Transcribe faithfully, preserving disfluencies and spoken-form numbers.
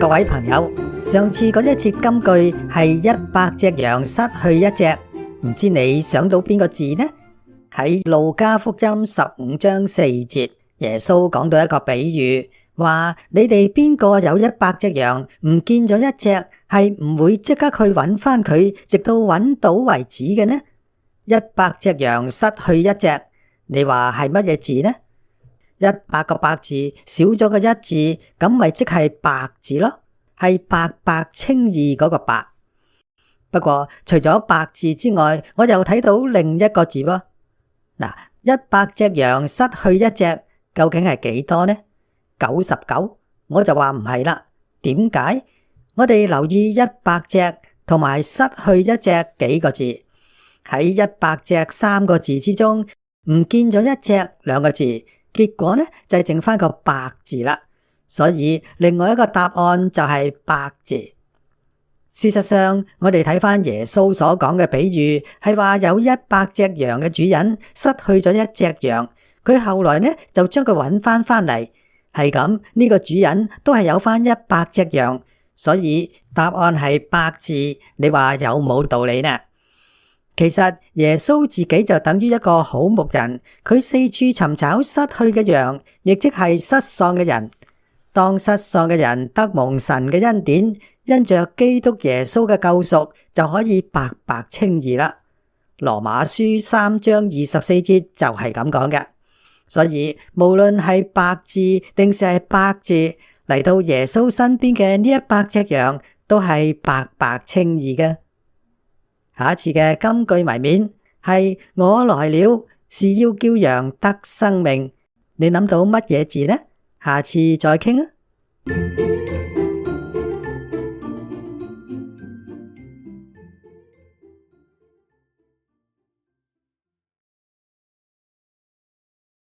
各位朋友，上次嗰一節金句係一百隻羊失去一隻，唔知你想到邊個字呢？喺路加福音十五章四節，耶穌講到一個比喻，話你哋邊個有一百隻羊唔見咗一隻，係唔會即刻去揾翻佢，直到揾到為止嘅呢？一百隻羊失去一隻，你話係乜嘢字呢？一百個百字少咗個一字，咁咪即係白字咯，係白白稱義嗰個白。不過除咗白字之外，我又睇到另一個字喎。嗱，一百隻羊失去一隻，究竟係幾多呢？九十九，我就話唔係啦。點解？我哋留意一百隻同埋失去一隻幾個字，喺一百隻三個字之中，唔見咗一隻兩個字，結果呢就係剩翻個白字啦。所以另外一個答案就係白字。事實上，我哋睇翻耶穌所講嘅比喻，係話有一百隻羊嘅主人失去咗一隻羊，佢後來呢就將佢揾翻翻嚟，係咁呢個主人都係有翻一百隻羊，所以答案係白字。你話有冇道理呢？其實耶穌自己就等於一個好牧人，佢四處尋找失去嘅羊，亦即係失喪嘅人。當失喪嘅人得蒙神嘅恩典，因着基督耶穌嘅救贖，就可以白白稱義啦。羅馬書三章二十四節就係咁講嘅。所以無論係白字定是係白字，嚟到耶穌身邊嘅呢一百隻羊，都係白白稱義嘅。下一次嘅金句謎面係我來了，是要叫羊得生命。你諗到乜嘢字呢？下次再傾啦。